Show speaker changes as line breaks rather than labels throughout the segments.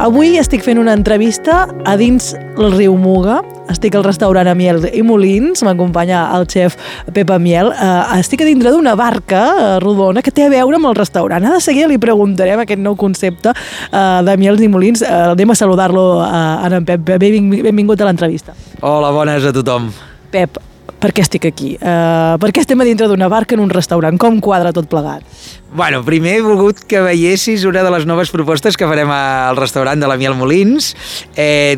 Avui estic fent una entrevista a dins el riu Muga. Estic al restaurant Amiel i Molins, m'acompanya el xef Pep Amiel. Estic a dintre d'una barca rodona que té a veure amb el restaurant. De seguida li preguntarem aquest nou concepte d'Amiels i Molins. Anem a saludar-lo a en Pep. Benvingut a l'entrevista.
Hola, bones a tothom.
Pep, per què estic aquí? Per què estem a dintre d'una barca en un restaurant? Com quadra tot plegat?
Bueno, primer he volgut que veiessis una de les noves propostes que farem al restaurant de l'Amiel Molins.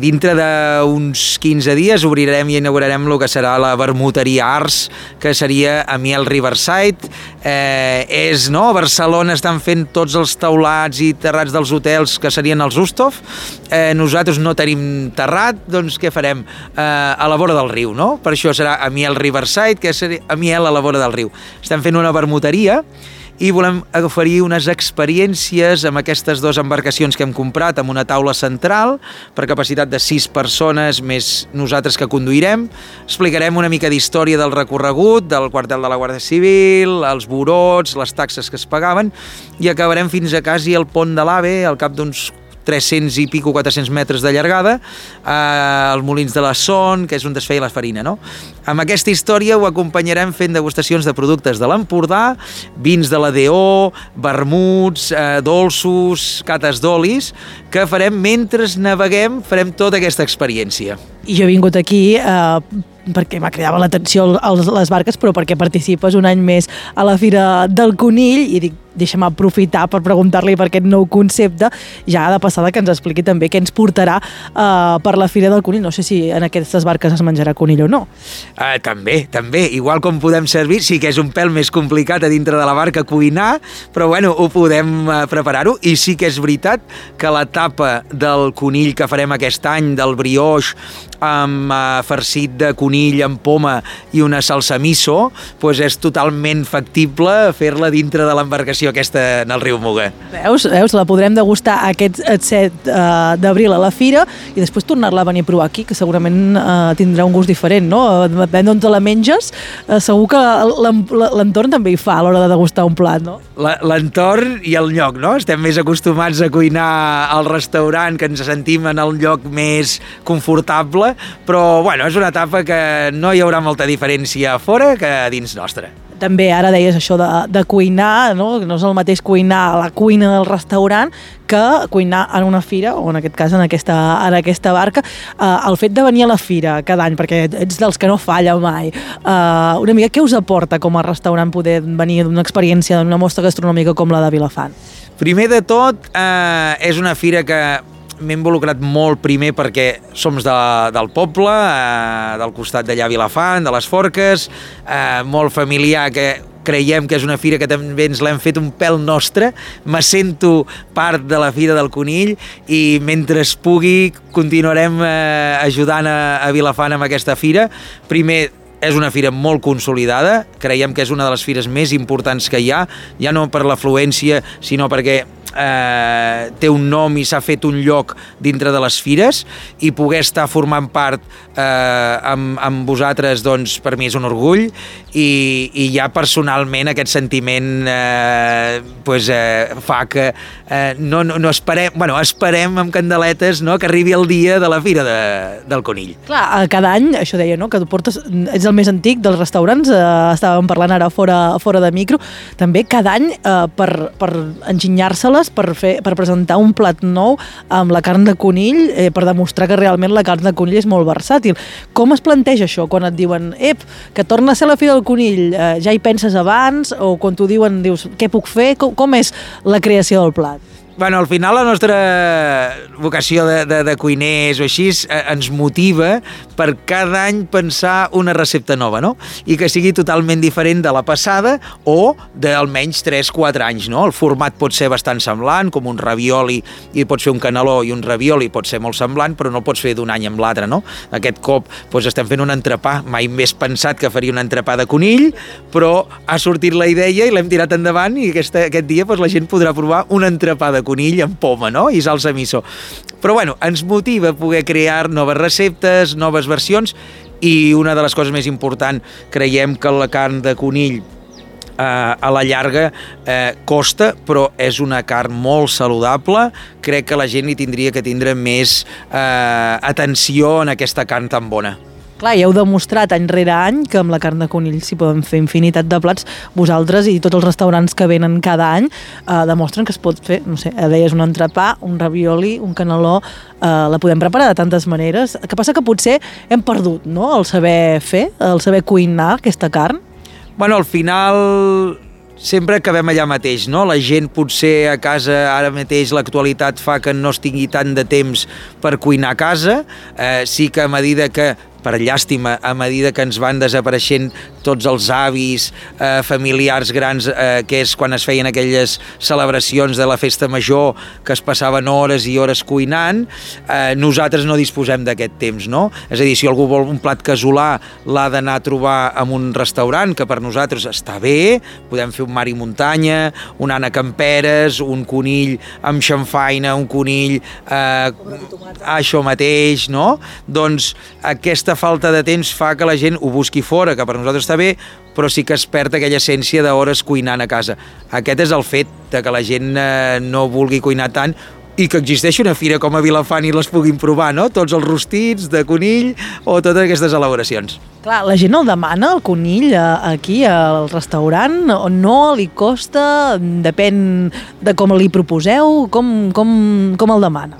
Dintre d'uns 15 dies obrirem i inaugurarem el que serà la Vermuteria Ars, que seria Amiel Riverside. A Barcelona estan fent tots els teulats i terrats dels hotels que serien els Ustov. Nosaltres no tenim terrat, doncs què farem? A la vora del riu, no? Per això serà Amiel Riverside, que seria Amiel a la vora del riu. Estem fent una vermuteria i volem oferir unes experiències amb aquestes dues embarcacions que hem comprat, amb una taula central per capacitat de 6 persones més nosaltres que conduirem. Explicarem una mica d'història del recorregut, del quartel de la Guàrdia Civil, els burots, les taxes que es pagaven, i acabarem fins a quasi el pont de l'AVE, al cap d'uns 300 i pico, 400 metres de llargada, als Molins de la Son, que és on es feia la farina, no? Amb aquesta història ho acompanyarem fent degustacions de productes de l'Empordà, vins de la DO, vermuts, dolços, cates d'olis, que farem mentre naveguem, farem tota aquesta experiència.
I jo he vingut aquí perquè m'ha cridat l'atenció les barques, però perquè participes un any més a la Fira del Conill, i dic, deixa'm aprofitar per preguntar-li per aquest nou concepte, ja de passada que ens expliqui també què ens portarà per la Fira del Conill. No sé si en aquestes barques es menjarà conill o no.
També. Igual com podem servir, sí que és un pèl més complicat a dintre de la barca cuinar, però bueno, ho podem preparar-ho, i sí que és veritat que la tapa del conill que farem aquest any, del brioix, amb farcit de conill amb poma i una salsa miso, doncs és totalment factible fer-la dintre de l'embarcació aquesta en el riu Muga.
Veus? La podrem degustar aquest 7 d'abril a la Fira i després tornar-la a venir a provar aquí, que segurament tindrà un gust diferent, no? Depèn d'on te la menges, segur que l'entorn també hi fa a l'hora de degustar un plat, no?
L'entorn i el lloc, no? Estem més acostumats a cuinar al restaurant, que ens sentim en el lloc més confortable, però bueno, és una etapa que no hi haurà molta diferència a fora que a dins nostra.
També ara deies això de cuinar, no? No és el mateix cuinar a la cuina del restaurant que cuinar en una fira, o en aquest cas en aquesta barca. El fet de venir a la fira cada any, perquè ets dels que no falla mai, una mica què us aporta com a restaurant poder venir d'una experiència, d'una mostra gastronòmica com la de Vilafant?
Primer de tot, és una fira que m'he involucrat molt primer perquè som del poble, del costat d'allà Vilafant, de les Forques, molt familiar, que creiem que és una fira que també ens l'hem fet un pèl nostre. Me sento part de la Fira del Conill i mentre es pugui continuarem ajudant a Vilafant amb aquesta fira. Primer, és una fira molt consolidada, creiem que és una de les fires més importants que hi ha, ja no per l'afluència, sinó perquè té un nom i s'ha fet un lloc dintre de les fires, i poder estar formant part amb vosaltres, doncs per mi és un orgull, i ja personalment aquest sentiment fa que no esperem amb candeletes, no, que arribi el dia de la Fira del Conill.
Clar, cada any, això deia, no, que tu ets el més antic dels restaurants, estàvem parlant ara fora de micro, també cada any per enginyar-se-les, per presentar un plat nou amb la carn de conill, per demostrar que realment la carn de conill és molt versàtil. Com es planteja això quan et diuen que torna a ser la Fira del Conill, ja hi penses abans, o quan t'ho diuen dius què puc fer? Com és la creació del plat?
Bueno, al final la nostra vocació de cuiners o així ens motiva per cada any pensar una recepta nova, no? I que sigui totalment diferent de la passada o d'almenys 3-4 anys, no? El format pot ser bastant semblant, com un ravioli, i pots fer un caneló i un ravioli pot ser molt semblant, però no el pots fer d'un any amb l'altre, no? Aquest cop estem fent un entrepà, mai més pensat que faria un entrepà de conill, però ha sortit la idea i l'hem tirat endavant, i aquest dia la gent podrà provar un entrepà de conill amb poma, no? I salsa miso. Però bueno, ens motiva poder crear noves receptes, noves versions, i una de les coses més importants, creiem que la carn de conill a la llarga costa, però és una carn molt saludable. Crec que la gent hi tindria que tindre més atenció en aquesta carn tan bona.
Clar, ja heu demostrat any rere any que amb la carn de conill s'hi poden fer infinitat de plats. Vosaltres i tots els restaurants que venen cada any demostren que es pot fer, no sé, deies un entrepà, un ravioli, un caneló, la podem preparar de tantes maneres. El que passa que potser hem perdut, no?, el saber fer, el saber cuinar aquesta carn.
Bueno, al final sempre acabem allà mateix, no? La gent potser a casa, ara mateix l'actualitat fa que no es tingui tant de temps per cuinar a casa, sí que a medida que, per llàstima, a medida que ens van desapareixent tots els avis familiars grans, que és quan es feien aquelles celebracions de la festa major, que es passaven hores i hores cuinant, nosaltres no disposem d'aquest temps, no? És a dir, si algú vol un plat casolà, l'ha d'anar a trobar en un restaurant, que per nosaltres està bé, podem fer un mar i muntanya, un Anna Camperes, un conill amb xamfaina, un conill això mateix, no? Doncs aquesta falta de temps fa que la gent ho busqui fora, que per nosaltres està bé, però sí que es perd aquella essència d'hores cuinant a casa. Aquest és el fet de que la gent no vulgui cuinar tant i que existeixi una fira com a Vilafant i les puguin provar, no? Tots els rostits de conill o totes aquestes elaboracions.
Clar, la gent el demana, el conill, aquí al restaurant, o no, li costa, depèn de com li proposeu, com el demana?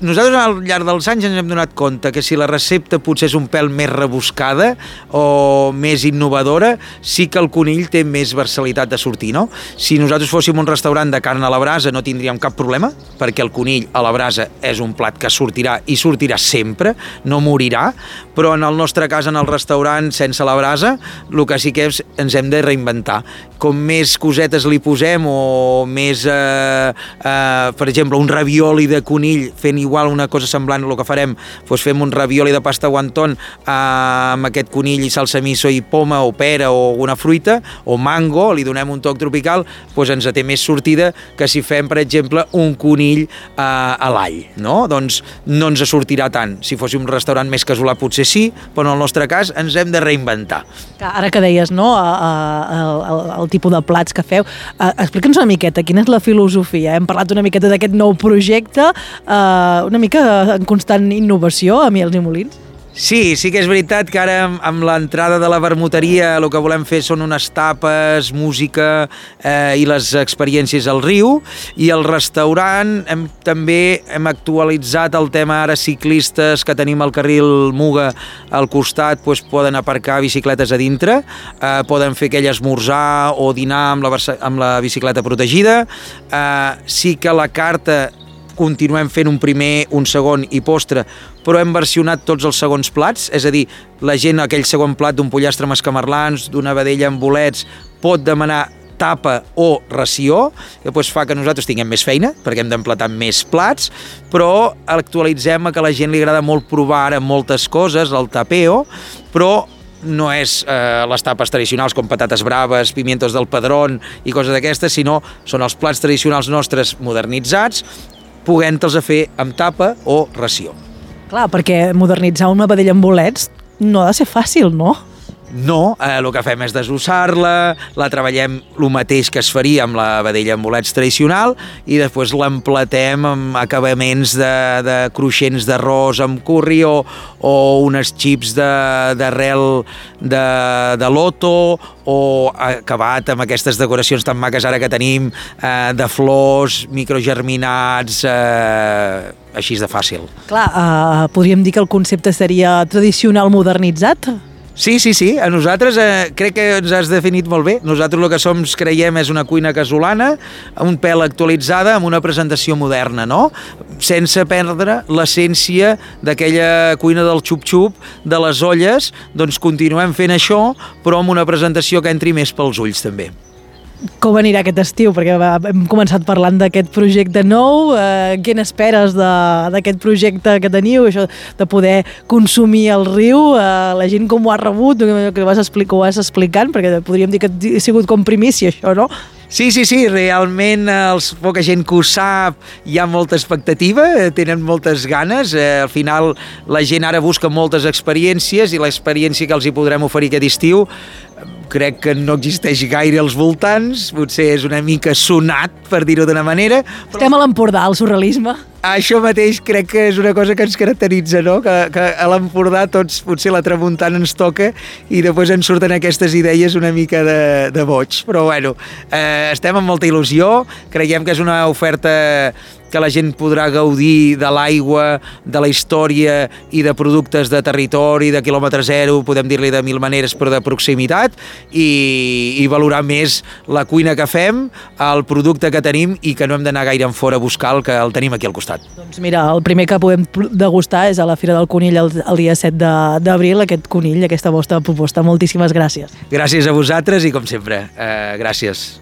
Nosaltres al llarg dels anys ens hem donat compte que si la recepta potser és un pèl més rebuscada o més innovadora, sí que el conill té més versatilitat de sortir, no? Si nosaltres fóssim un restaurant de carn a la brasa no tindríem cap problema, perquè el conill a la brasa és un plat que sortirà i sortirà sempre, no morirà, però en el nostre cas en el restaurant sense la brasa el que sí que és, ens hem de reinventar. Com més cosetes li posem o més, per exemple, un ravioli de conill fent igual una cosa semblant a el que farem, doncs fem un ravioli de pasta wonton amb aquest conill i salsa miso i poma o pera o alguna fruita o mango, li donem un toc tropical, doncs ens té més sortida que si fem, per exemple, un conill a l'all, no? Doncs no ens sortirà tant. Si fóssim un restaurant més casolà potser sí, però en el nostre cas ens hem de reinventar.
Ara que deies, no?, el tipus de plats que feu, explica'ns una miqueta quina és la filosofia. Hem parlat una miqueta d'aquest nou projecte, una mica en constant innovació a Miels i Molins.
Sí que és veritat que ara amb l'entrada de la vermuteria el que volem fer són unes tapes, música i les experiències al riu, i el restaurant també hem actualitzat el tema. Ara ciclistes que tenim al carril Muga al costat doncs poden aparcar bicicletes a dintre, poden fer aquell esmorzar o dinar amb la bicicleta protegida. Sí que la carta continuem fent un primer, un segon i postre, però hem versionat tots els segons plats, és a dir, la gent aquell segon plat d'un pollastre amb escamarlans, d'una vedella amb bolets, pot demanar tapa o ració, que doncs fa que nosaltres tinguem més feina, perquè hem d'emplatar més plats, però actualitzem que a la gent li agrada molt provar ara moltes coses, el tapeo, però no és les tapes tradicionals com patates braves, pimientos del Padrón i coses d'aquestes, sinó són els plats tradicionals nostres modernitzats, podent-los fer amb tapa o ració.
Clar, perquè modernitzar una vedella amb bolets no ha de ser fàcil, no?
No, el que fem és desossar-la, la treballem el mateix que es faria amb la vedella amb bolets tradicional i després l'emplatem amb acabaments de cruixents d'arròs amb curri o unes xips d'arrel de loto o acabat amb aquestes decoracions tan maques ara que tenim de flors, microgerminats, així de fàcil.
Clar, podríem dir que el concepte seria tradicional modernitzat?
Sí, a nosaltres crec que ens has definit molt bé. Nosaltres el que creiem és una cuina casolana, un pèl actualitzada, amb una presentació moderna, no? Sense perdre l'essència d'aquella cuina del xup-xup, de les olles, doncs continuem fent això, però amb una presentació que entri més pels ulls també.
Com anirà aquest estiu? Perquè hem començat parlant d'aquest projecte nou. Què n'esperes d'aquest projecte que teniu? Això de poder consumir el riu, la gent com ho ha rebut, que ho vas explicant, perquè podríem dir que ha sigut com primícia això, no?
Sí, realment poca gent que ho sap, hi ha molta expectativa, tenen moltes ganes, al final la gent ara busca moltes experiències i l'experiència que els hi podrem oferir aquest estiu crec que no existeix gaire als voltants, potser és una mica sonat, per dir-ho d'una manera.
Estem a l'Empordà, el surrealisme.
Això mateix crec que és una cosa que ens caracteritza, no? Que a l'Empordà tots, potser la tramuntana ens toca i després ens surten aquestes idees una mica de boig. Però bueno, estem amb molta il·lusió, creiem que és una oferta que la gent podrà gaudir de l'aigua, de la història i de productes de territori, de quilòmetre zero, podem dir-li de mil maneres, però de proximitat, i valorar més la cuina que fem, el producte que tenim i que no hem d'anar gaire en fora a buscar, que el tenim aquí al costat.
Doncs mira, el primer que podem degustar és a la Fira del Conill el dia 7 d'abril, aquest conill, aquesta vostra proposta. Moltíssimes gràcies.
Gràcies a vosaltres i, com sempre, gràcies.